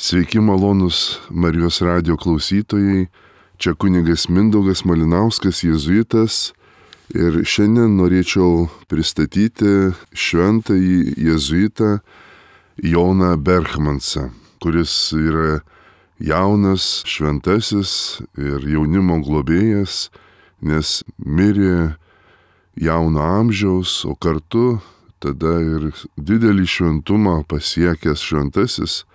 Sveiki malonus Marijos radijo klausytojai, čia kunigas Mindaugas Malinauskas, jėzuitas, ir šiandien norėčiau pristatyti šventąjį jėzuitą Joną Berchmansą, kuris yra jaunas šventasis ir jaunimo globėjas, nes mirė jauno amžiaus, o kartu tada ir didelį šventumą pasiekęs šventasis.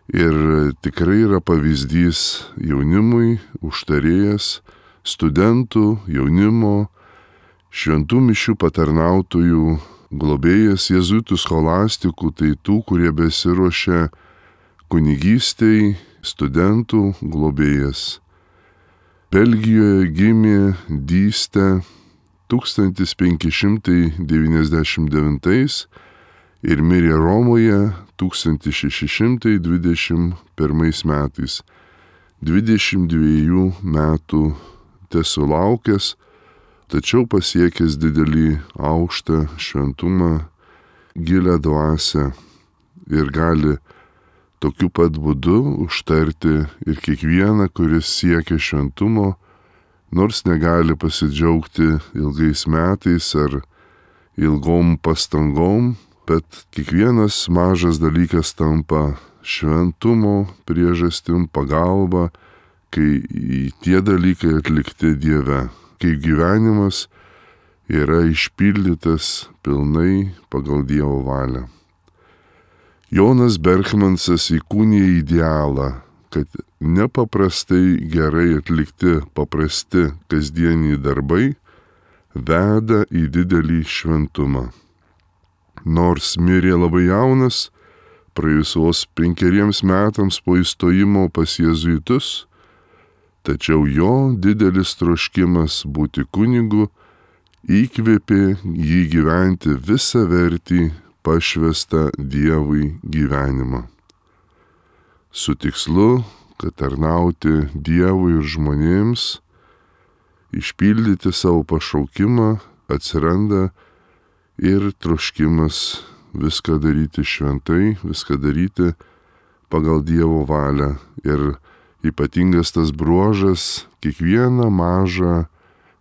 Ir tikrai yra pavyzdys jaunimui, užtarėjas, studentų, jaunimo, šventų mišių patarnautojų, globėjas, jėzuitų scholastikų, tai tų, kurie besiruošia kunigystei, studentų globėjas. Belgijoje gimė Dyste 1599 ir mirė Romoje 1621 metais, 22 metų tesulaukęs, tačiau pasiekęs didelį aukštą šventumą, gilią dvasią ir gali tokiu pat būdu užtarti ir kiekvieną, kuris siekia šventumo, nors negali pasidžiaugti ilgais metais ar ilgom pastangom, bet kiekvienas mažas dalykas tampa šventumo priežastim, pagalba, kai tie dalykai atlikti Dieve, kai gyvenimas yra išpildytas pilnai pagal Dievo valią. Jonas Berchmansas įkūnija idealą, kad nepaprastai gerai atlikti paprasti kasdieniai darbai veda į didelį šventumą. Nors mirė labai jaunas, praėjus vos 5 metams po įstojimo pas jėzuitus, tačiau jo didelis troškimas būti kunigu įkvėpė jį gyventi visavertį pašvęstą Dievui gyvenimą. Su tikslu, kad tarnauti Dievui ir žmonėms, išpildyti savo pašaukimą, atsiranda ir troškimas viską daryti šventai, viską daryti pagal Dievo valią. Ir ypatingas tas bruožas kiekvieną mažą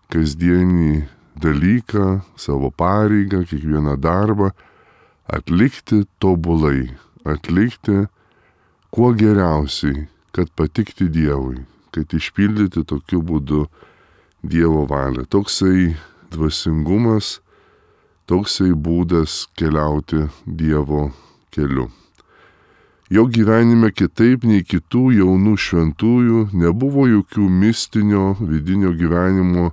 kasdienį dalyką, savo pareigą, kiekvieną darbą atlikti tobulai, atlikti kuo geriausiai, kad patikti Dievui, kad išpildyti tokiu būdu Dievo valią. Toksai dvasingumas, toksai būdas keliauti Dievo keliu. Jo gyvenime kitaip nei kitų jaunų šventųjų nebuvo jokių mistinio vidinio gyvenimo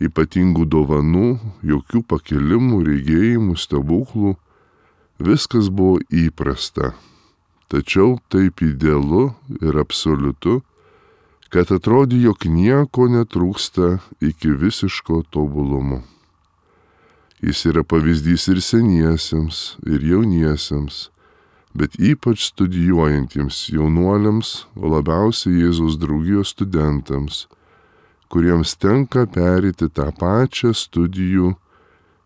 ypatingų dovanų, jokių pakelimų, regėjimų, stebuklų. Viskas buvo įprasta, tačiau taip idealu ir absoliutu, kad atrodė, jog nieko netrūksta iki visiško tobulumo. Jis yra pavyzdys ir seniesiems, ir jauniesiems, bet ypač studijuojantiems jaunuoliams, o labiausiai Jėzaus draugijos studentams, kuriems tenka pereiti tą pačią studijų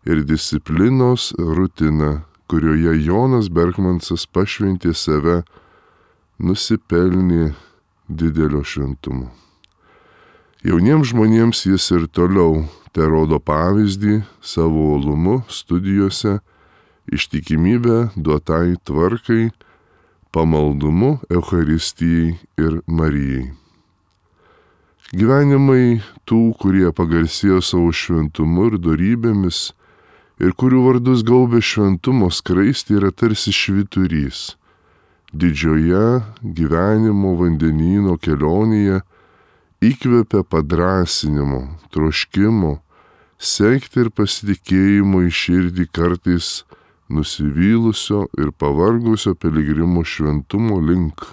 ir disciplinos rutiną, kurioje Jonas Berchmansas pašventė save, nusipelnė didelio šventumo. Jauniems žmonėms jis ir toliau terodo pavyzdį savo uolumu studijose, ištikimybę duotai tvarkai, pamaldumu Eucharistijai ir Marijai. Gyvenimai tų, kurie pagarsėjo savo šventumu ir dorybėmis ir kurių vardus gaubė šventumo skraistė, yra tarsi švyturys. Didžioje gyvenimo vandenyno kelionėje įkvepia padrąsinimo, troškimo, sekti ir pasitikėjimo į širdį kartais nusivylusio ir pavargusio piligrimo šventumo link,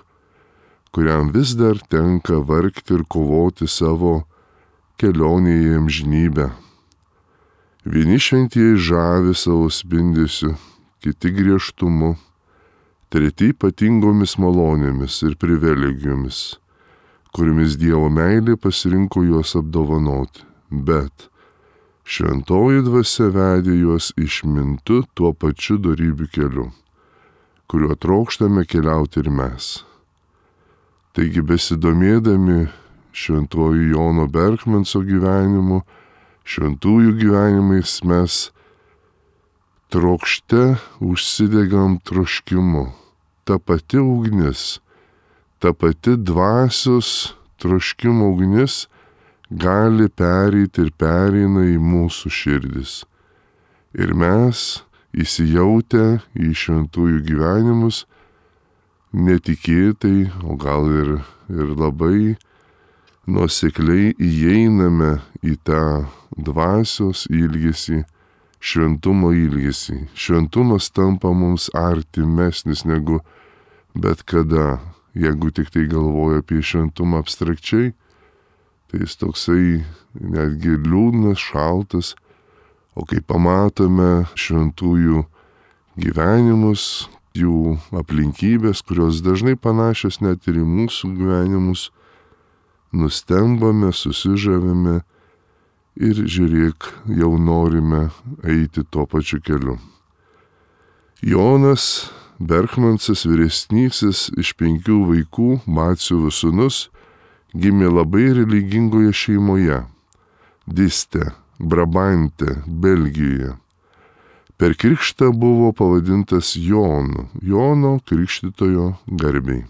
kuriam vis dar tenka vargti ir kovoti savo kelionėje į amžinybę. Vieni šventieji žavi savo spindesiu, kiti griežtumu, treti ypatingomis malonėmis ir privilegijomis, kuriomis Dievo meilė pasirinko juos apdovanoti, bet šventoji dvasia vedė juos išmintu tuo pačiu dorybių keliu. kuriuo trokštame keliauti ir mes. Taigi besidomėdami šventuoju Jono Berkmanso gyvenimu, šventųjų gyvenimais mes trokšte užsidegam troškimu. Ta pati ugnis, ta pati dvasios troškimo ugnis gali pereiti ir pereina į mūsų širdis. Ir mes, įsijautę į šventųjų gyvenimus, netikėtai, o gal ir labai nuosekliai įeiname į tą dvasios ilgesį, šventumo ilgesį. Šventumas tampa mums artimesnis negu bet kada. Jeigu tik tai galvoja apie šventumą abstrakčiai, tai jis toksai netgi liūdnas, šaltas. O kai pamatome šventųjų gyvenimus, jų aplinkybės, kurios dažnai panašios net ir į mūsų gyvenimus, nustembame, susižavime ir žiūrėk, jau norime eiti tuo pačiu keliu. Jonas Berkmansas vyresnysis iš 5 vaikų, Batsiuvio sūnus, gimė labai religingoje šeimoje, Diste, Brabante, Belgijoje. Per krikštą buvo pavadintas Jonu, Jono Krikštytojo garbei.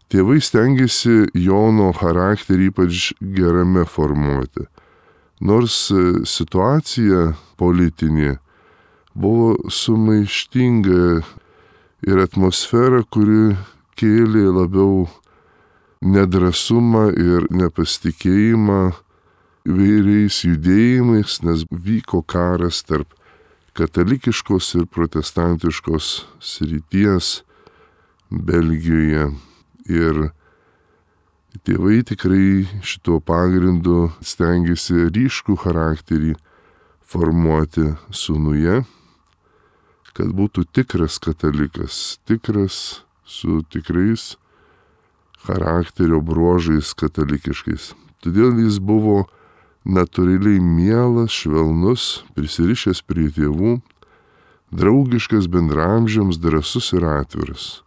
Tėvai stengiasi Jono charakterį ypač gerame formuoti, nors situacija politinė buvo sumaištinga ir atmosfera, kuri kėlė labiau nedrąsumą ir nepasitikėjimą įvairiais judėjimais, nes vyko karas tarp katalikiškos ir protestantiškos srities Belgijoje. Ir tėvai tikrai šituo pagrindu stengiasi ryškų charakterį formuoti sūnuje, kad būtų tikras katalikas, tikras su tikrais charakterio bruožais katalikiškais. Todėl jis buvo natūraliai mielas, švelnus, prisirišęs prie tėvų, draugiškas bendramžiams, drąsus ir atviras.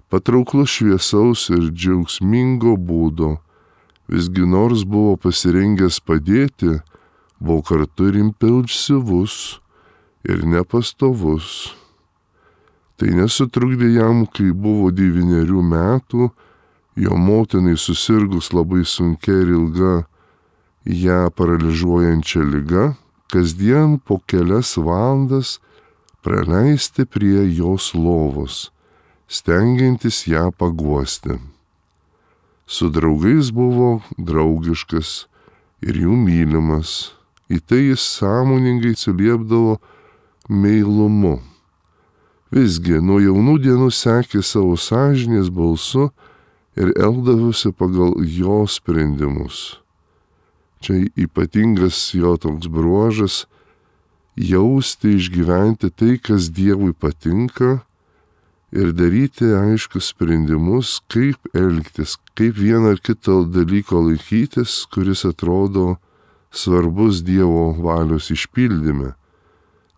Patrauklus šviesaus ir džiaugsmingo būdo, visgi nors buvo pasirengęs padėti, buvo kartu ir impulsyvus ir nepastovus. Tai nesutrukdė jam, kai buvo 9 metų, jo motinai susirgus labai sunkia ir ilga ją paralyžiuojančia liga, kasdien po kelias valandas praleisti prie jos lovos, stengiantis ją paguosti. Su draugais buvo draugiškas ir jų mylimas, į tai jis sąmoningai atsiliepdavo meilumu. Visgi nuo jaunų dienų sekė savo sąžinės balsu ir elgdavosi pagal jo sprendimus. Čia ypatingas jo toks bruožas - jausti, išgyventi tai, kas Dievui patinka ir daryti aiškius sprendimus, kaip elgtis, kaip vieną ar kitą dalyko laikytis, kuris atrodo svarbus Dievo valios išpildyme.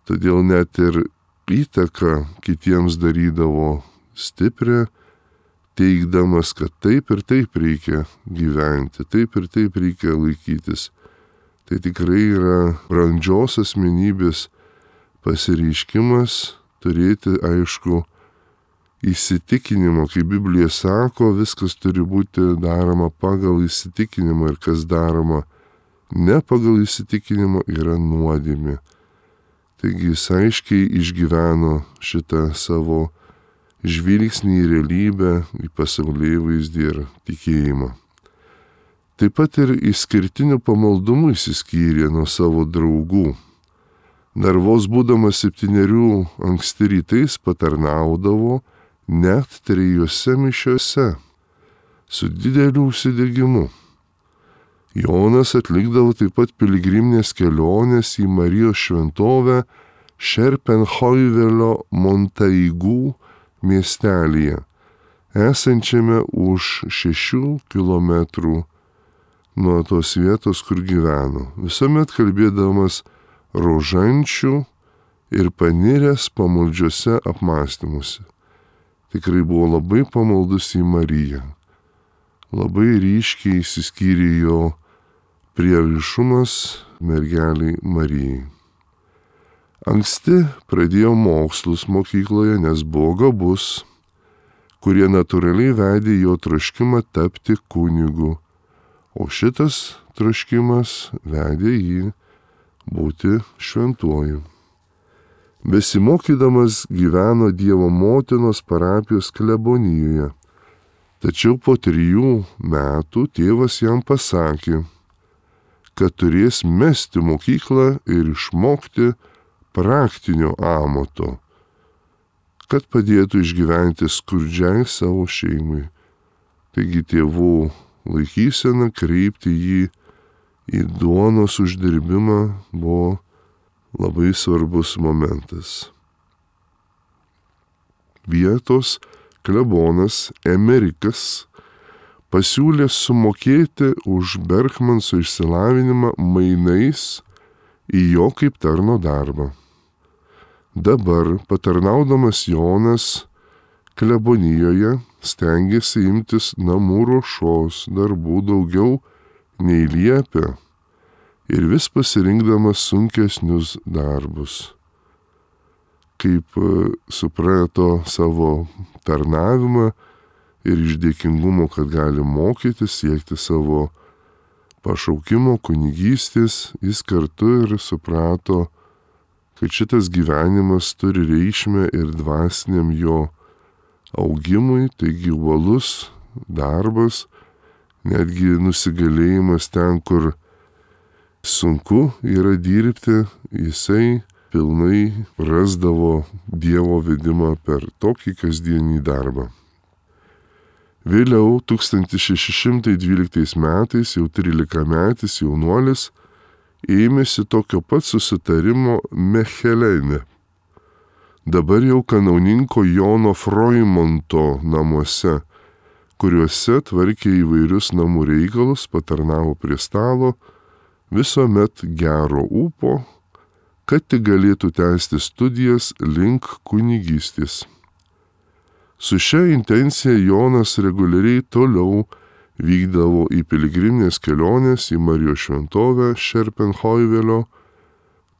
Todėl net ir įtaką kitiems darydavo stiprią, teigdamas, kad taip ir taip reikia gyventi, taip ir taip reikia laikytis. Tai tikrai yra brandžios asmenybės pasireiškimas turėti aišku įsitikinimą, kaip Biblija sako, viskas turi būti daroma pagal įsitikinimą ir kas daroma ne pagal įsitikinimą yra nuodėmė. Taigi jis aiškiai išgyveno šitą savo žvilgsnį į realybę, į pasaulėvaizdį ir tikėjimą. Taip pat ir išskirtiniu pamaldumu išsiskyrė nuo savo draugų. Dar vos būdamas 7 anksti rytais patarnaudavo net 3 mišiose su dideliu užsidegimu. Jonas atlikdavo taip pat piligriminės kelionės į Marijos šventovę Šerpenhoivelio Montaigų miestelyje, esančiame už 6 kilometrų nuo tos vietos, kur gyveno. Visuomet kalbėdamas rožančių ir paniręs pamaldžiuose apmąstymuose. Tikrai buvo labai pamaldus į Mariją. Labai ryškiai išsiskyrė jo prieraišumas mergeliai Marijai. Anksti pradėjo mokslus mokykloje, nes buvo gabus, kurie natūraliai vedė jo troškimą tapti kunigu, o šitas troškimas vedė jį būti šventuoju. Besimokydamas gyveno Dievo motinos parapijos klebonijoje, tačiau po 3 metų tėvas jam pasakė, kad turės mesti mokyklą ir išmokti praktinio amato, kad padėtų išgyventi skurdžiai savo šeimai. Taigi tėvų laikysena kreipti jį į duonos uždirbimą buvo labai svarbus momentas. Vietos klebonas Emerikas pasiūlė sumokėti už Berkmanso išsilavinimą mainais į jo kaip tarno darbą. Dabar, patarnaudamas Jonas klebonijoje, stengėsi imtis namų ruošos darbų daugiau nei liepė ir vis pasirinkdamas sunkesnius darbus. Kaip suprato savo tarnavimą ir iš dėkingumo, kad gali mokytis, siekti savo pašaukimo kunigystės, jis kartu ir suprato, kad šitas gyvenimas turi reikšmę ir dvasiniam jo augimui, taigi uolus darbas, netgi nusigalėjimas ten, kur sunku yra dirbti, jisai pilnai rasdavo Dievo vedimą per tokį kasdienį darbą. Vėliau 1612 metais jau 13-metis jaunuolis ėmėsi tokio pat susitarimo Mechelene, dabar jau kanauninko Jono Froimonto namuose, kuriuose tvarkė įvairius namų reikalus, patarnavo prie stalo, visuomet gero ūpo, kad tik galėtų tęsti studijas link kunigystės. Su šia intencija Jonas reguliariai toliau vykdavo į piligriminės kelionės į Marijos šventovę Šerpenhoivelio,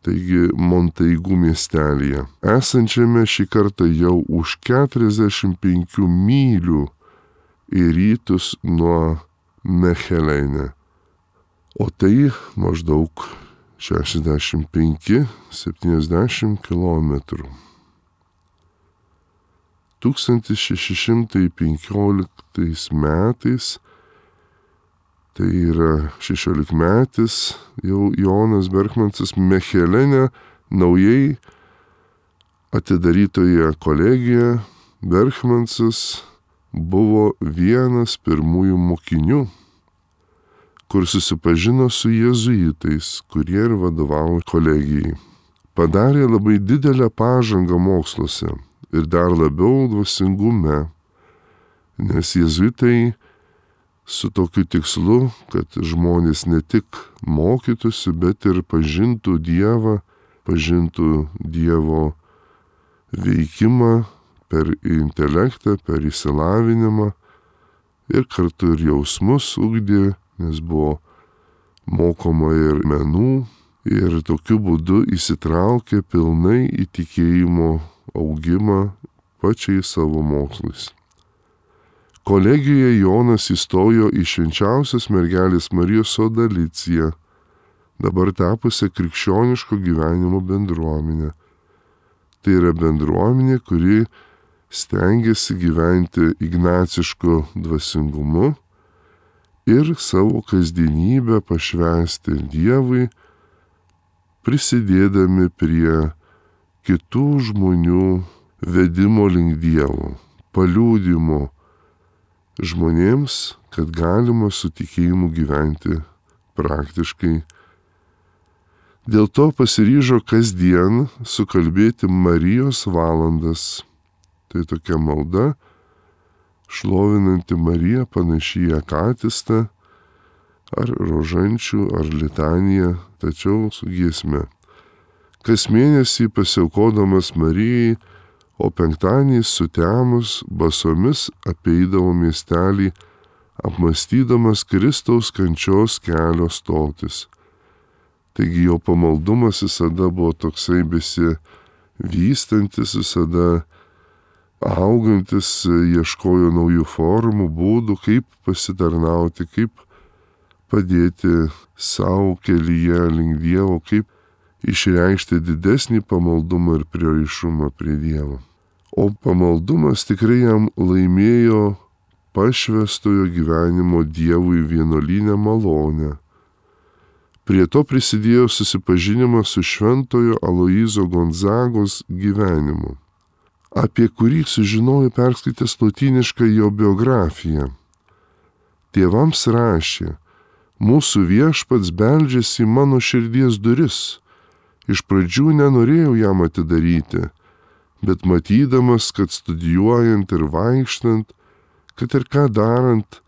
taigi Montaigų miestelyje, esančiame šį kartą jau už 45 mylių į rytus nuo Mechelene. O tai maždaug 65-70 km. 1615 metais, tai yra 16-metis, jau Jonas Berkmansas Mechelene naujai atidarytoje kolegijoje Berkmansas buvo vienas pirmųjų mokinių, kur susipažino su jėzuitais, kurie ir vadovavo kolegijai. Padarė labai didelę pažangą moksluose ir dar labiau dvasingume, nes jėzuitai su tokiu tikslu, kad žmonės ne tik mokytųsi, bet ir pažintų Dievą, pažintų Dievo veikimą per intelektą, per išsilavinimą ir kartu ir jausmus ugdė, nes buvo mokoma ir menų ir tokiu būdu įsitraukė pilnai į tikėjimo augimą pačiais savo mokslais. Kolegijoje Jonas įstojo į švenčiausios mergelės Marijos sodaliciją, dabar tapusią krikščioniško gyvenimo bendruomenę. Tai yra bendruomenė, kuri stengiasi gyventi ignacišku dvasingumu ir savo kasdienybę pašvęsti Dievui, prisidėdami prie kitų žmonių vedimo link Dievo, paliudimo žmonėms, kad galima su tikėjimu gyventi praktiškai. Dėl to pasiryžo kasdien sukalbėti Marijos valandas. Tai tokia malda, šlovinanti Mariją panaši į akatistą, ar rožančių, ar litaniją, tačiau su giesme. kas mėnesį pasiaukodamas Marijai, o penktadieniais sutemus basomis apeidavo miestelį, apmąstydamas Kristaus kančios kelio stotis. Taigi jo pamaldumas visada buvo toksai besivystantis, visada augantis, ieškojo naujų formų, būdų, kaip pasitarnauti, kaip padėti savo kelyje link Dievo, kaip išreikšti didesnį pamaldumą ir prieraišumą prie Dievo. O pamaldumas tikrai jam laimėjo pašvęstojo gyvenimo Dievui vienuolinę malonę. Prie to prisidėjo susipažinimas su šventojo Aloyzo Gonzagos gyvenimu, apie kurį sužinojo perskaitęs lotynišką jo biografiją. Tėvams rašė: mūsų Viešpats beldžiasi į mano širdies duris. Iš pradžių nenorėjau jam atidaryti, bet matydamas, kad studijuojant ir vaikštant, kad ir ką darant,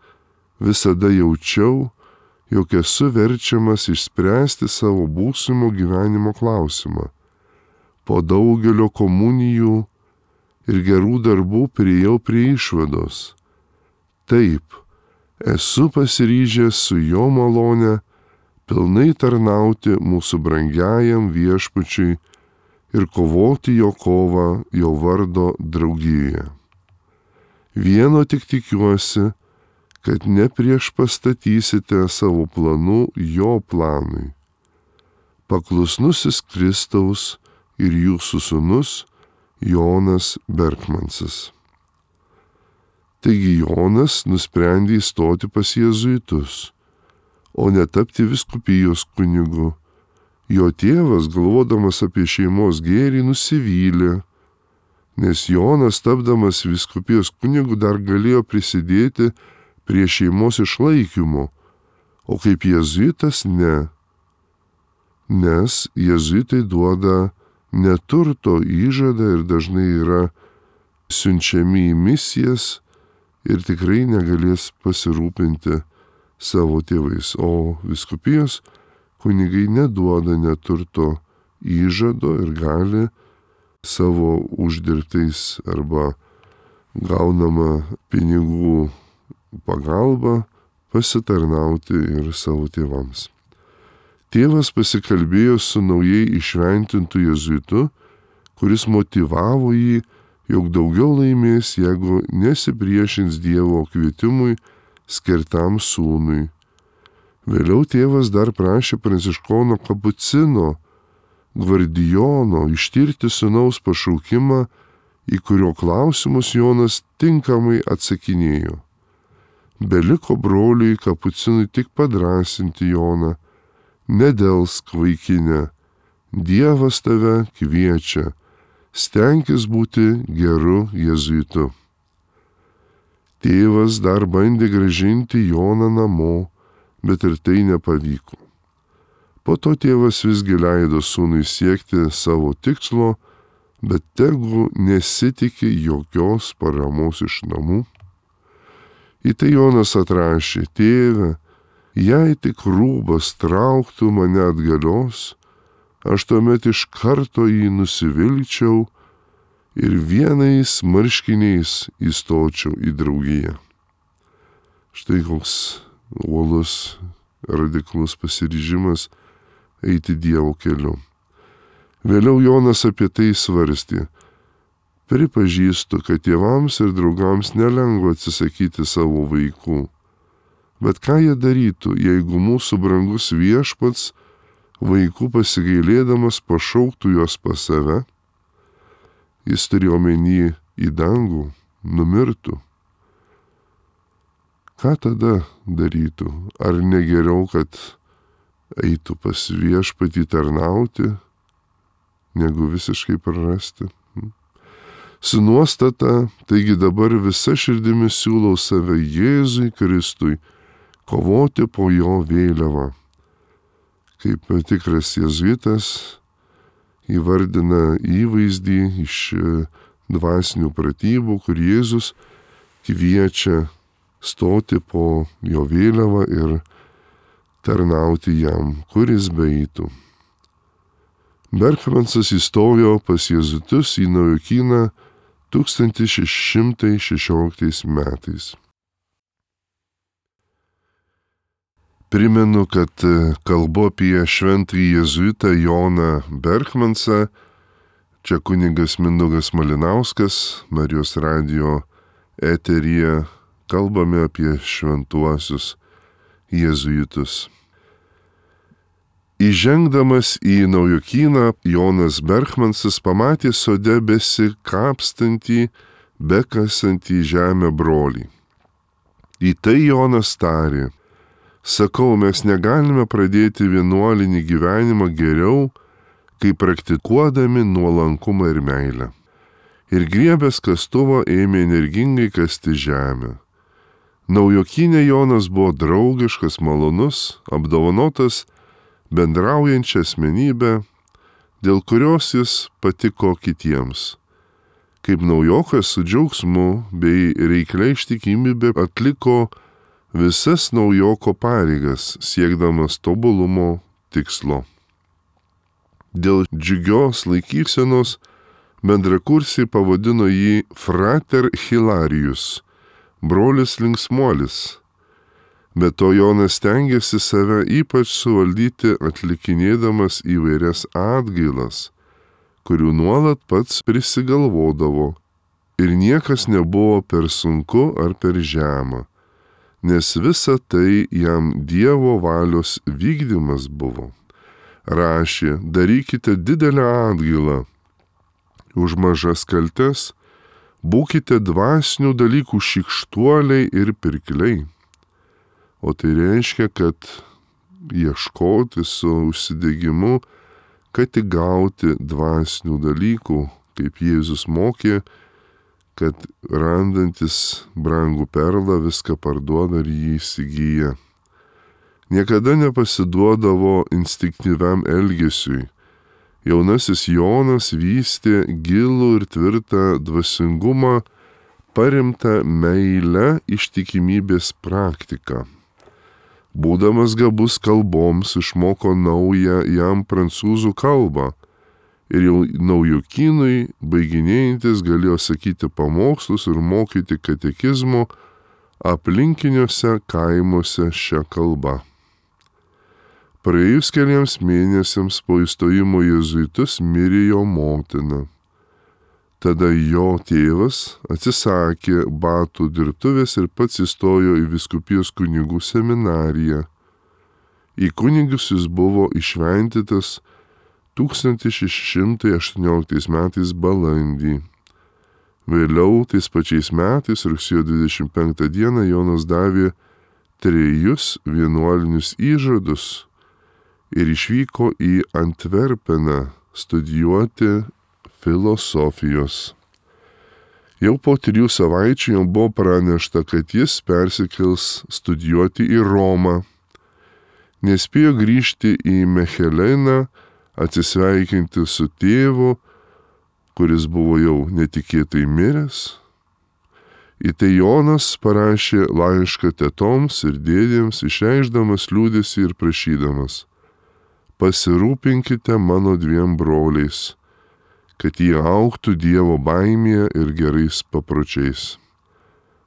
visada jaučiau, jog esu verčiamas išspręsti savo būsimo gyvenimo klausimą. Po daugelio komunijų ir gerų darbų priėjau prie išvados. Taip, esu pasiryžęs su jo malone pilnai tarnauti mūsų brangiajam Viešpačiui ir kovoti jo kovą jo vardo draugijoje. Vieno tik tikiuosi, kad nepriešpastatysite savo planų jo planui. Paklusnusis Kristaus ir jūsų sūnus Jonas Berkmansas. Taigi Jonas nusprendė įstoti pas jėzuitus, o netapti vyskupijos kunigu. Jo tėvas, galvodamas apie šeimos gėrį, nusivylė, nes Jonas, tapdamas vyskupijos kunigu, dar galėjo prisidėti prie šeimos išlaikymo, o kaip jėzuitas ne. Nes jėzuitai duoda neturto įžadą ir dažnai yra siunčiami į misijas ir tikrai negalės pasirūpinti savo tėvais, o vyskupijos kunigai neduoda neturto įžado ir gali savo uždirbtais arba gaunama pinigų pagalba pasitarnauti ir savo tėvams. Tėvas pasikalbėjo su naujai išventintu jėzuitu, kuris motyvavo jį, jog daugiau laimės, jeigu nesipriešins Dievo kvietimui skirtam sūnui. Vėliau tėvas dar prašė pranciškono kapucino Gvardijono ištirti sūnaus pašaukimą, į kurio klausimus Jonas tinkamai atsakinėjo. Beliko broliui kapucinui tik padrąsinti Joną: nedelsk, vaikine, Dievas tave kviečia, stenkis būti geru jėzuitu. Tėvas dar bandė grąžinti Joną namo, bet ir tai nepavyko. Po to tėvas visgi leido sūnui siekti savo tikslo, bet tegu nesitikė jokios paramos iš namų. Į tai Jonas atrašė: tėve, jei tik rūbas trauktų mane atgalios, aš tuomet iš karto jį nusivilčiau ir vienais marškiniais įstočiau į draugiją. Štai koks uolus, radikalus pasiryžimas eiti Dievo keliu. Vėliau Jonas apie tai svarstė: pripažįstu, kad tėvams ir draugams nelengva atsisakyti savo vaikų. Bet ką jie darytų, jeigu mūsų brangus Viešpats vaikų pasigailėdamas pašauktų juos pas save? Jis turėjo omeny į dangų, numirtų. Ką tada darytų? Ar negeriau, kad eitų pas Viešpatį tarnauti, negu visiškai prarasti? Su nuostata, taigi dabar visa širdimi siūlau save Jėzui Kristui, kovoti po jo vėliavą. Kaip tikras jėzuitas įvardina įvaizdį iš dvasinių pratybų, kur Jėzus kviečia stoti po jo vėliavą ir tarnauti jam, kur jis beeitų. Berkmansas įstojo pas jėzuitus į Naujokyną 1616 metais. Primenu, kad kalbu apie šventąjį jėzuitą Joną Berkmansą. Čia kunigas Mindaugas Malinauskas, Marijos radijo eteryje kalbame apie šventuosius jėzuitus. Įžengdamas į Naujokyną, Jonas Berkmansas pamatė sode besikapstantį, bekasantį žemę brolį. Į tai Jonas tarė: sakau, mes negalime pradėti vienuolinį gyvenimą geriau, kai praktikuodami nuolankumą ir meilę. Ir griebęs kastuvą ėmė energingai kasti žemę. Naujokynė Jonas buvo draugiškas, malonus, apdovanotas bendraujančią asmenybę, dėl kurios jis patiko kitiems. Kaip naujokas su džiaugsmu bei reiklia ištikimybė atliko visas naujoko pareigas, siekdamas tobulumo tikslo. Dėl džiugios laikysenos bendrakursiai pavadino jį Frater Hilarius, brolis linksmuolis. Bet to Jonas stengiasi save ypač suvaldyti, atlikinėdamas įvairias atgailas, kurių nuolat pats prisigalvodavo, ir niekas nebuvo per sunku ar per žema, nes visa tai jam Dievo valios vykdymas buvo. Rašė: darykite didelę atgailą už mažas kaltes, būkite dvasinių dalykų šykštuoliai ir pirkliai. O tai reiškia, kad ieškoti su užsidegimu, kad tik gauti dvasinių dalykų, kaip Jėzus mokė, kad randantis brangų perlą viską parduoda ir jį įsigyja. Niekada nepasiduodavo instinktyviam elgesiui. Jaunasis Jonas vystė gilų ir tvirtą dvasingumą, paremtą meile ištikimybės praktiką. Būdamas gabus kalboms, išmoko naują jam prancūzų kalbą ir jau Naujokynui baiginėjantis galėjo sakyti pamokslus ir mokyti katekizmo aplinkiniuose kaimuose šią kalbą. Praėjus keliems mėnesiams po įstojimo jėzuitus mirė jo motina. Tada jo tėvas atsisakė batų dirbtuvės ir pats įstojo į vyskupijos kunigų seminariją. Į kunigus jis buvo iššventytas 1618 metais balandį. Vėliau tais pačiais metais, rugsėjo 25 dieną, Jonas davė 3 vienuolinius įžadus ir išvyko į Antverpeną studijuoti filosofijos. Jau po 3 savaičių jam buvo pranešta, kad jis persikels studijuoti į Romą. Nespėjo grįžti į Mecheleną, atsisveikinti su tėvu, kuris buvo jau netikėtai miręs. Į tai Jonas parašė laišką tetoms ir dėdėms, išreikšdamas liūdesį ir prašydamas: pasirūpinkite mano 2 broliais, kad jie augtų Dievo baimėje ir gerais papročiais.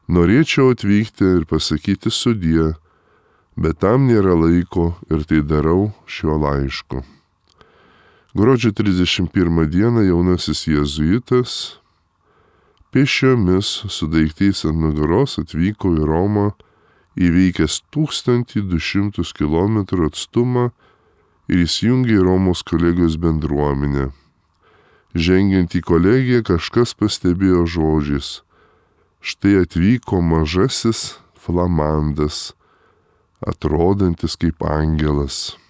Norėčiau atvykti ir pasakyti sudie, bet tam nėra laiko ir tai darau šiuo laišku. Gruodžio 31 dieną jaunasis jėzuitas pėsčiomis su daiktais ant nugaros atvyko į Romą, įveikęs 1200 km atstumą ir įsijungė į Romos kolegijos bendruomenę. Žengiant į kolegiją, kažkas pastebėjo žodžiais: štai atvyko mažasis flamandas, atrodantis kaip angelas.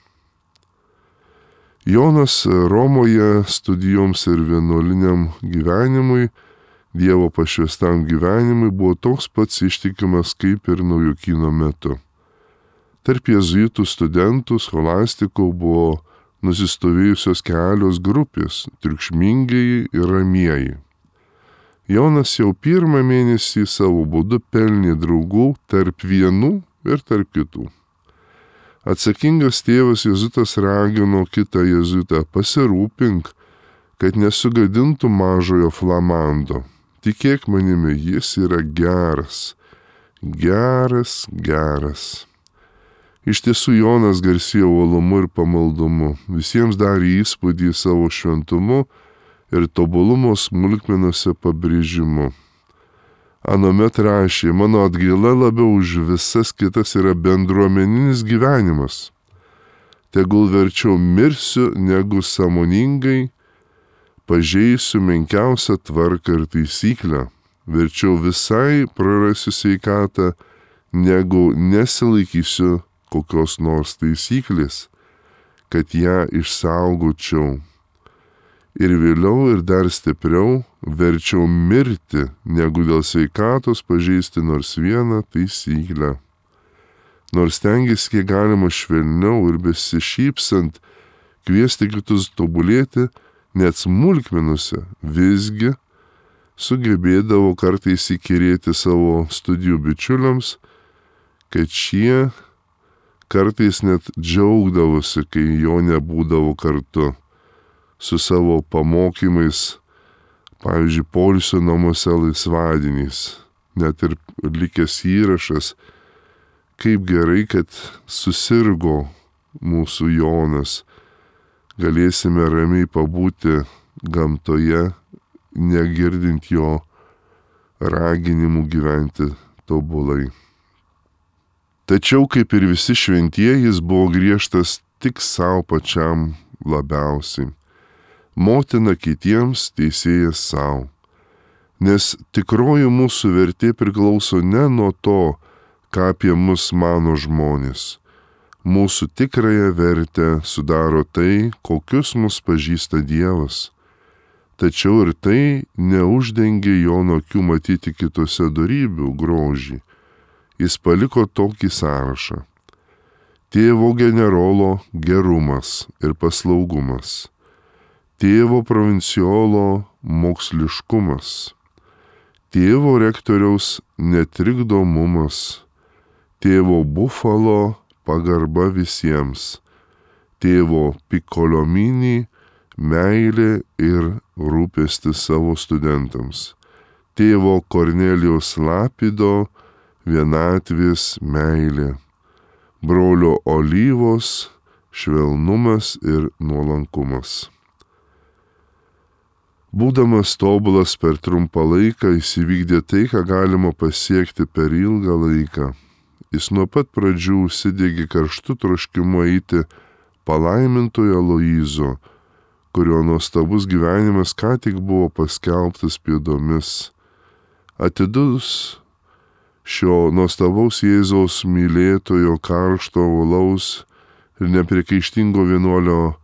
Jonas Romoje studijoms ir vienuoliniam gyvenimui, Dievo pašvęstam gyvenimui buvo toks pats ištikimas kaip ir Naujokyno metu. Tarp jėzuitų studentų, scholastikų buvo nusistovėjusios kelios grupės - triukšmingieji ir ramieji. Jonas jau 1 mėnesį savo būdu pelnė draugų tarp vienų ir tarp kitų. Atsakingas tėvas jėzuitas ragino kitą jėzuitą: pasirūpink, kad nesugadintų mažojo Flamando. Tikėk manimi, jis yra geras. Iš tiesų Jonas garsėjo uolumu ir pamaldumu, visiems darė įspūdį savo šventumu ir tobulumo smulkmenose pabrėžimu. Anomet rašė: mano atgaila labiau už visas kitas yra bendruomeninis gyvenimas. Tegul verčiau mirsiu, negu sąmoningai pažeisiu menkiausią tvarką ir taisyklę. Verčiau visai prarasiu sveikatą, negu nesilaikysiu kokios nors taisyklės, kad ją išsaugočiau. Ir vėliau ir dar stipriau verčiau mirti, negu dėl sveikatos pažeisti nors vieną taisyklę. Nors stengiasi kiek galima švelniau ir besišypsant kviesti kitus tobulėti, net smulkmenuose, visgi sugebėdavo kartais įkyrėti savo studijų bičiuliams, kad šie kartais net džiaugdavosi, kai jo nebūdavo kartu su savo pamokymais, pavyzdžiui, poilsio namuose laisvadieniais, net ir likęs įrašas, kaip gerai, kad susirgo mūsų Jonas, galėsime ramiai pabūti gamtoje, negirdint jo raginimų gyventi tobulai. Tačiau, kaip ir visi šventieji, jis buvo griežtas tik savo pačiam labiausiai. Motina kitiems, teisėjas savo. Nes tikroji mūsų vertė priklauso ne nuo to, ką apie mus mano žmonės. Mūsų tikrąją vertę sudaro tai, kokius mus pažįsta Dievas. Tačiau ir tai neuždengė Jono akių matyti kitose dorybių grožį. Jis paliko tokį sąrašą: tėvo generolo gerumas ir paslaugumas, tėvo provinciolo moksliškumas, tėvo rektoriaus netrikdomumas, tėvo bufalo pagarba visiems, tėvo Piccolomini meilė ir rūpestis savo studentams, tėvo Kornelijaus Lapido vienatvės meilė, brolio Olyvos švelnumas ir nuolankumas. Būdamas tobulas per trumpą laiką, jis įvykdė tai, ką galima pasiekti per ilgą laiką. Jis nuo pat pradžių užsidegė karštu troškimu eiti palaimintojo Aloyzo, kurio nuostabus gyvenimas ką tik buvo paskelbtas pėdomis. Atidus šio nuostabaus Jėzaus mylėtojo karšto uolaus ir nepriekaištingo vienuolio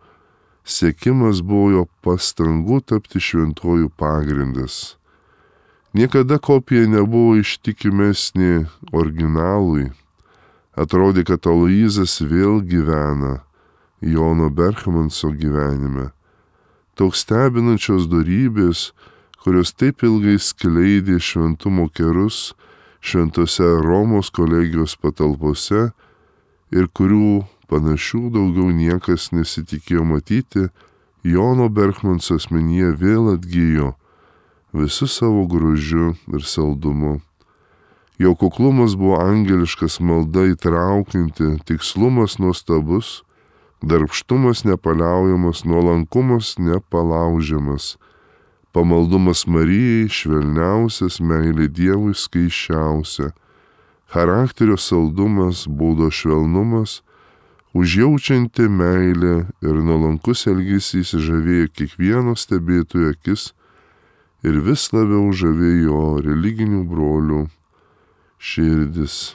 siekimas buvo jo pastangų tapti šventuoju pagrindas. Niekada kopija nebuvo ištikimesnė originalui. Atrodė, kad Aloyzas vėl gyvena Jono Berchmanso gyvenime. Toks stebinančios dorybės, kurios taip ilgai skleidė šventumo kerus šventose Romos kolegijos patalpose ir kurių panašių daugiau niekas nesitikėjo matyti, Jono Berchmanso asmenyje vėl atgijo visu savo grožiu ir saldumu. Jo kuklumas buvo angeliškas, malda įtraukianti, tikslumas nuostabus, darbštumas nepaliaujamas, nuolankumas nepalaužiamas, pamaldumas Marijai švelniausias, meilė Dievui skaisčiausia, charakterio saldumas, būdo švelnumas, užjaučianti meilė ir nuolankus elgesys žavėjo kiekvieno stebėtojo akis ir vis labiau žavėjo religinių brolių širdis.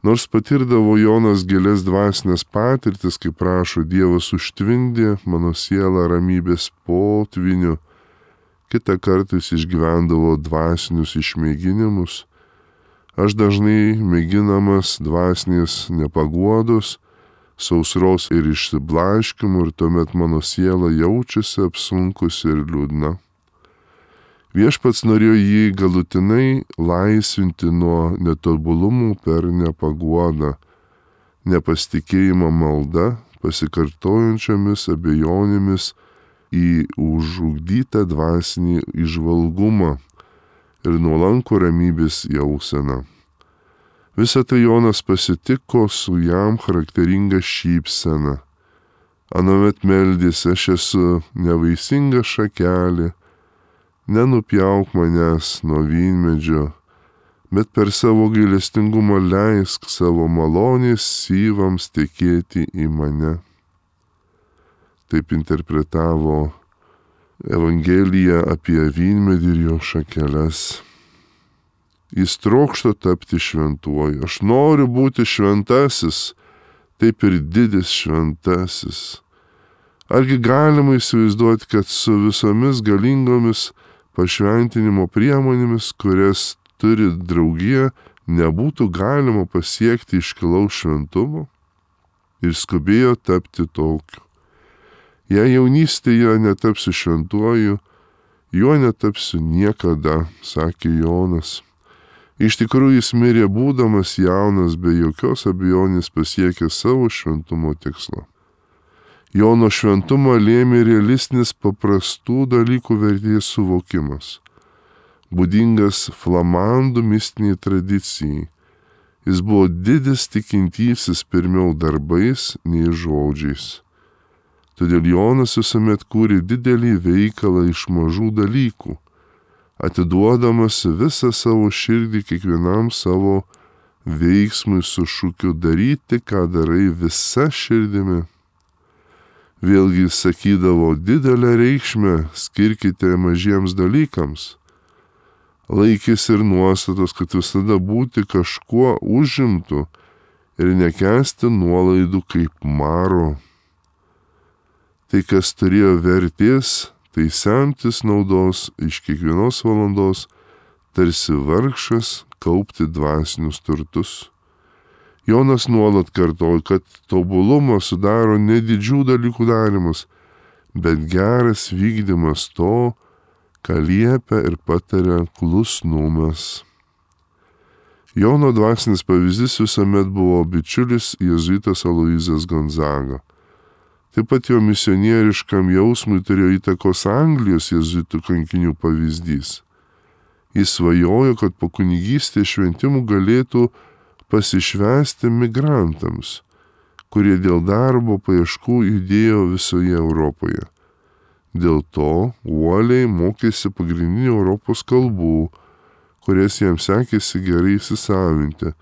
Nors patirdavo Jonas gilias dvasinės patirtis, kaip prašo Dievas, užtvindė mano sielą ramybės potviniu, kitą kartą jis išgyvendavo dvasinius išmėginimus. Aš dažnai mėginamas dvasinės nepaguodos, sausros ir išsiblaškimų, ir tuomet mano siela jaučiasi apsunkusi ir liūdna. Viešpats norėjo jį galutinai laisvinti nuo netobulumų per nepaguodą. nepasitikėjimo malda, pasikartojančiomis abejonėmis į užugdytą dvasinį įžvalgumą ir nuolankų ramybės jauseną. Visą tai Jonas pasitiko su jam charakteringa šypsena. Anuomet meldėsi: aš esu nevaisinga šakelė, nenupjauk manęs nuo vynmedžio, bet per savo gailestingumą leisk savo malonės syvams tekėti į mane. Taip interpretavo Evangeliją apie vynmedį ir jo šakeles. Jis trokšta tapti šventuoju. Aš noriu būti šventasis, taip ir didis šventasis. Argi galima įsivaizduoti, kad su visomis galingomis pašventinimo priemonėmis, kurias turi draugija, nebūtų galima pasiekti iškilaus šventumo? Ir skubėjo tapti tokiu. Jei jaunystėje netapsiu šventuoju, juo netapsiu niekada, sakė Jonas. Iš tikrųjų jis mirė būdamas jaunas, be jokios abejonės pasiekė savo šventumo tikslą. Jono šventumą lėmė realistinis paprastų dalykų vertės suvokimas, būdingas flamandų mistiniai tradicijai. Jis buvo didis tikintysis pirmiau darbais nei žodžiais. Todėl Jonas visuomet kūrė didelį veikalą iš mažų dalykų, atiduodamas visą savo širdį kiekvienam savo veiksmui su šūkiu daryti, ką darai visa širdimi. Vėlgi sakydavo: didelę reikšmę skirkite mažiems dalykams. Laikėsi ir nuostatos, kad visada būti kažkuo užimtu ir nekęsti nuolaidų kaip maro. Tai, kas turėjo vertės, tai semtis naudos iš kiekvienos valandos, tarsi vargšas kaupti dvasinius turtus. Jonas nuolat kartojo, kad tobulumą sudaro ne didžių dalykų darimas, bet geras vykdymas to, ką liepia ir pataria klusnumas. Jono dvasinis pavyzdys visuomet buvo bičiulis jėzuitas Aloyzas Gonzaga. Taip pat jo misionieriškam jausmui turėjo įtakos Anglijos jėzuitų kankinių pavyzdys. Jis svajojo, kad po kunigystės šventimų galėtų pasišvęsti migrantams, kurie dėl darbo paieškų judėjo visoje Europoje. Dėl to uoliai mokėsi pagrindinių Europos kalbų, kurias jam sekėsi gerai įsisavinti,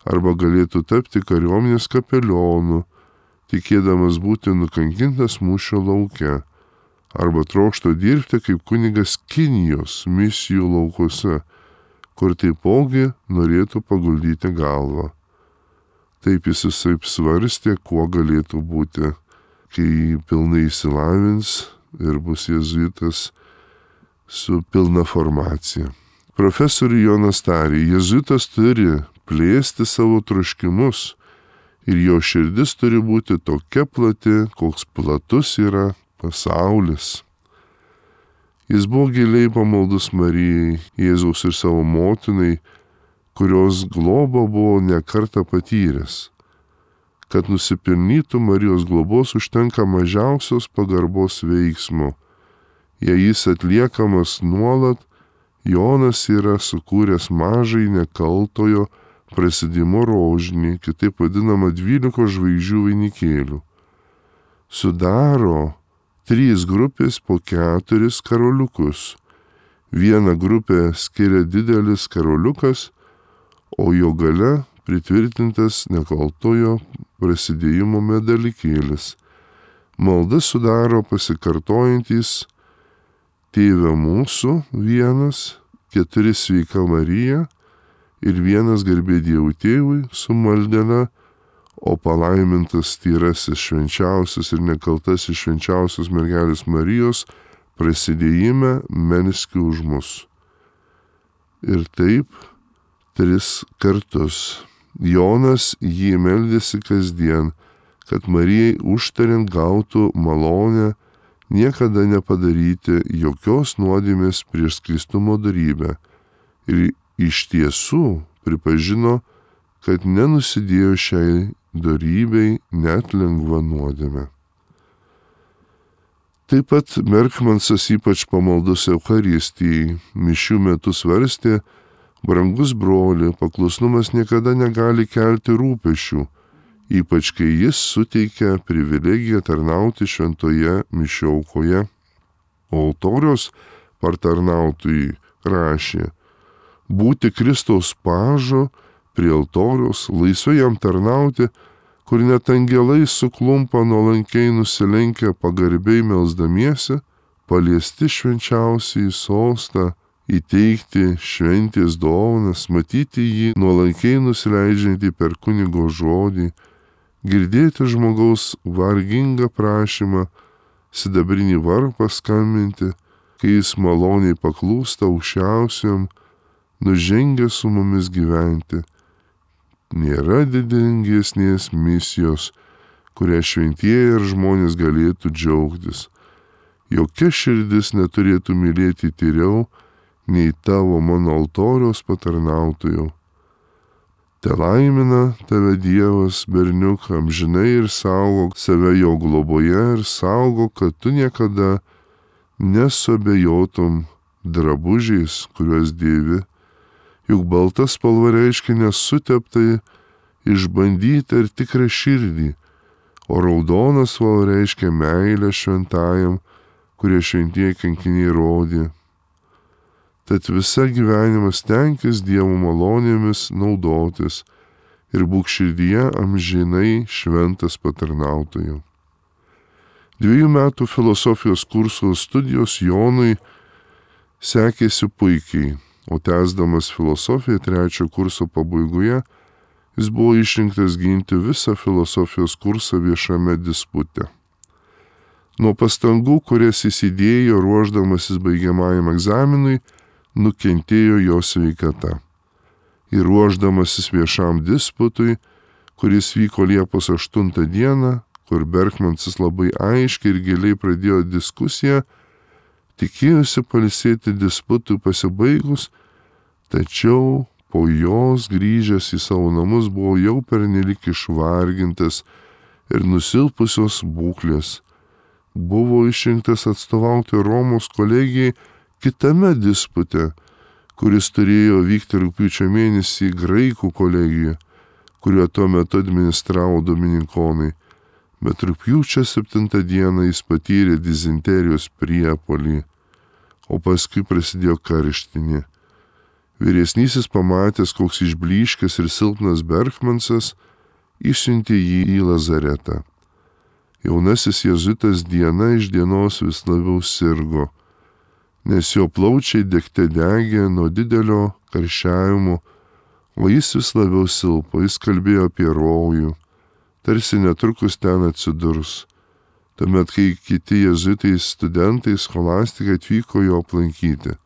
arba galėtų tapti kariuomenės kapelionu, tikėdamas būti nukankintas mūšio lauke, arba trokšto dirbti kaip kunigas Kinijos misijų laukuose, kur taipogi norėtų paguldyti galvą. Taip jis visaip svarstė, kuo galėtų būti, kai pilnai įsilavins ir bus jėzuitas su pilna formacija. Profesorius Jonas tarė: jėzuitas turi plėsti savo troškimus, ir jo širdis turi būti tokia plati, koks platus yra pasaulis. Jis buvo giliai pamaldus Marijai, Jėzaus ir savo motinai, kurios globą buvo nekartą patyręs. Kad nusipelnytų Marijos globos, užtenka mažiausios pagarbos veiksmo. Jei jis atliekamas nuolat, Jonas yra sukūręs mažai nekaltojo prasidimo rožinį, kitaip vadinama 12 žvaigždžių vainikėlių. Sudaro 3 grupės po 4 karoliukus. Vieną grupę skiria didelis karoliukas, o jo gale pritvirtintas nekaltojo prasidėjimo medalikėlis. Malda sudaro pasikartojantys Tėve mūsų 1, 4 Sveika Marija ir 1 Garbė Dievui Tėvui su maldele, o palaimintas tyrasis švenčiausias ir nekaltasis švenčiausios mergelės Marijos prasidėjime melski už mus. Ir taip 3 kartus. Jonas jį meldėsi kasdien, kad Marijai užtariant gautų malonę niekada nepadaryti jokios nuodėmės prieš skaistumo dorybę. Ir iš tiesų pripažino, kad nenusidėjo šiai dorybei, net lengva nuodėmė. Taip pat Berkmansas ypač pamaldus Eucharistijai mišių metu svarstė: brangus broli, paklusnumas niekada negali kelti rūpesčių, ypač kai jis suteikia privilegiją tarnauti šventoje mišių aukoje. O altoriaus partarnautojai rašė: būti Kristaus pažu prie altoriaus, laisvai jam tarnauti, kur net angelai suklumpa nuolankiai nusilenkę pagarbiai melsdamiesi, paliesti švenčiausiai sostą, įteikti šventės dovanas, matyti jį nuolankiai nusileidžiantį per kunigo žodį, girdėti žmogaus vargingą prašymą, sidabrinį varpą skambinti, kai jis maloniai paklūsta aukščiausiam, nužengia su mumis gyventi. Nėra didingesnės misijos, kurią šventieji ir žmonės galėtų džiaugtis. Jokia širdis neturėtų mylėti tyriau, nei tavo mano altoriaus patarnautojau. Te laimina tave Dievas, berniuk, amžinai ir saugok save jo globoje ir saugok, kad tu niekada nesuabejotum drabužiais, kuriuos dėvi. Juk balta spalva reiškia nesuteptai, išbandytą ir tikrą širdį, o raudona spalva reiškia meilę šventajam, kurie šventieji kankiniai rodė. Tad visą gyvenimą stenkis Dievo malonėmis naudotis ir būk širdyje amžinai šventas patarnautojau. 2 metų filosofijos kurso studijos Jonui sekėsi puikiai, o tęsdamas filosofiją 3 kurso pabaigoje jis buvo išrinktas ginti visą filosofijos kursą viešame dispute. Nuo pastangų, kurias jis įdėjo ruošdamasis baigiamajam egzaminui, nukentėjo jo sveikata. Ir ruošdamasis viešam disputui, kuris vyko Liepos 8 dieną, kur Berkmansas labai aiškiai ir giliai pradėjo diskusiją, tikėjosi pailsėti disputui pasibaigus, tačiau po jos grįžęs į savo namus buvo jau pernelik išvargintas ir nusilpusios būklės. Buvo išrinktas atstovauti Romos kolegijai kitame dispute, kuris turėjo vykti rugpjūčio mėnesį Graikų kolegijoje, kuriuo tuo metu administravo dominikonai, bet rugpjūčio 7 dieną jis patyrė dizenterijos priepuolį, o paskui prasidėjo karštinė. Vyresnysis pamatęs, koks išblyškęs ir silpnas Berkmansas, išsiuntė jį į lazaretą. Jaunasis jėzuitas diena iš dienos vis labiau sirgo, nes jo plaučiai degte degė nuo didelio karščiavimo, o jis vis labiau silpo, jis kalbėjo apie rojų, tarsi netrukus ten atsidurs. Tuomet, kai kiti jėzuitai studentai scholastikai atvyko jo aplankyti.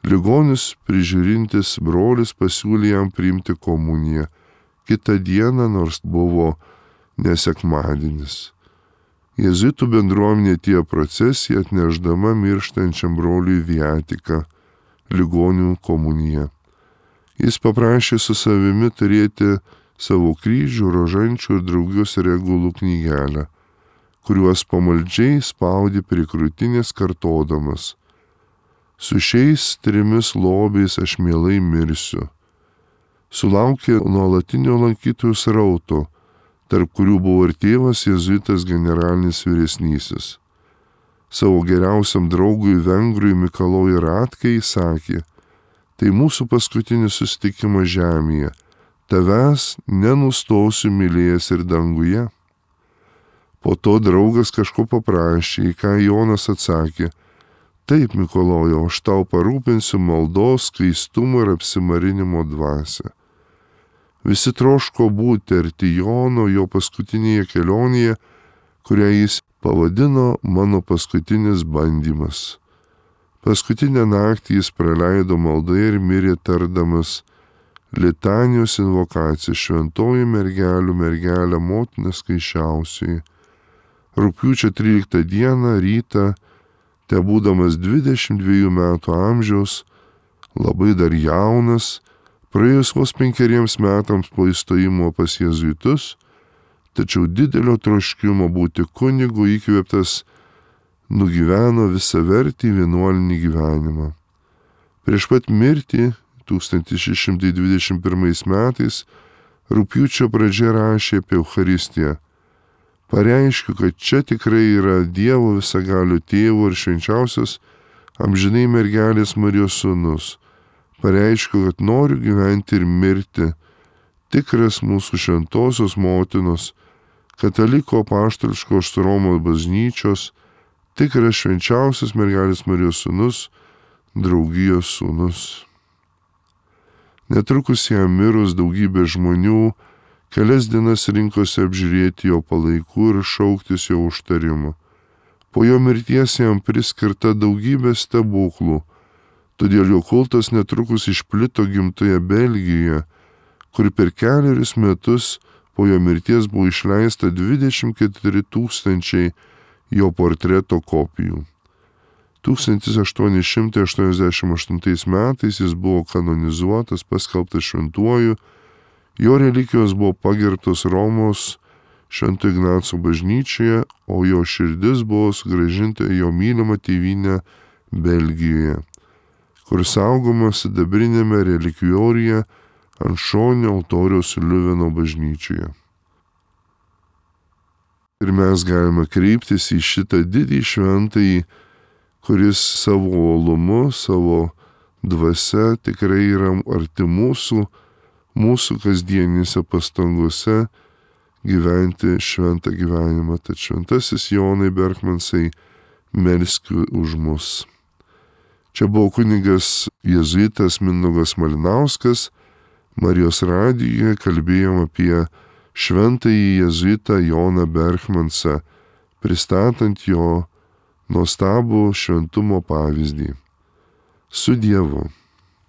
Ligonis prižiūrintis brolis pasiūlė jam priimti komuniją kitą dieną, nors buvo nesekmadienis. Jėzuitų bendruomenė atėjo procesija atnešdama mirštančiam broliui viatiką, ligonių komuniją. Jis paprašė su savimi turėti savo kryžių, rožančių ir draugius regulų knygelę, kuriuos pamaldžiai spaudė prie krūtinės kartodamas: su šiais 3 lobiais aš mielai mirsiu. Sulaukė nuolatinio lankytojų srauto, tarp kurių buvo ir tėvas jėzuitas generalinis vyresnysis. Savo geriausiam draugui vengrui Mikalojui Ratkai sakė: tai mūsų paskutinis susitikimas žemėje, tavęs nenustosiu mylėjęs ir danguje. Po to draugas kažko paprašė, į ką Jonas atsakė: taip, Mikalojau, aš tau parūpinsiu maldos, skaistumo ir apsimarinimo dvasią. Visi troško būti arti Jono jo paskutinėje kelionėje, kurią jis pavadino mano paskutinis bandymas. Paskutinę naktį jis praleido maldoje ir mirė tardamas litanijos invokaciją: šventoji mergelių mergelė motina skaičiausioji. Rugpjūčio 13 dieną rytą, te būdamas 22 metų amžiaus, labai dar jaunas, praėjus vos 5 metams po įstojimo pas jėzuitus, tačiau didelio troškimo būti kunigu įkvėptas nugyveno visavertį vienuolinį gyvenimą. Prieš pat mirtį 1621 metais rugpjūčio pradžia rašė apie Eucharistiją. Pareiškiu, kad čia tikrai yra Dievo visagalio tėvo ir švenčiausios amžinai mergelės Marijos sūnus. Pareiškiu, kad noriu gyventi ir mirti, tikras mūsų šventosios motinos, kataliko apaštališkos Romos bažnyčios, tikras švenčiausias mergelės Marijos sūnus, draugijos sūnus. Netrukus jam mirus daugybė žmonių kelias dienas rinkosi apžiūrėti jo palaikų ir šauktis jo užtarimų. Po jo mirties jam priskirta daugybė stebuklų, todėl jo kultas netrukus išplito gimtoje Belgijoje, kur per 4 metus po jo mirties buvo išleista 24 000 jo portreto kopijų. 1888 metais jis buvo kanonizuotas, paskelbtas šventuoju, jo relikijos buvo pagerbtos Romos Švento Ignaco bažnyčioje, o jo širdis buvo sugrąžinta į jo mylimą tėvynę Belgijoje, kur saugoma sidabrinėme relikvijoriuje ant šoninio altoriaus Liuveno bažnyčioje. Ir mes galime kreiptis į šitą didį šventąjį, kuris savo uolumu, savo dvasia tikrai yra arti mūsų kasdienėse pastangose gyventi šventą gyvenimą. Tad šventasis Jonai Berkmansai, melsk už mus. Čia buvo kunigas jėzuitas Mindaugas Malinauskas. Marijos radijoje kalbėjom apie šventąjį jėzuitą Joną Berkmansą, pristatant jo nuostabų šventumo pavyzdį. Su Dievu.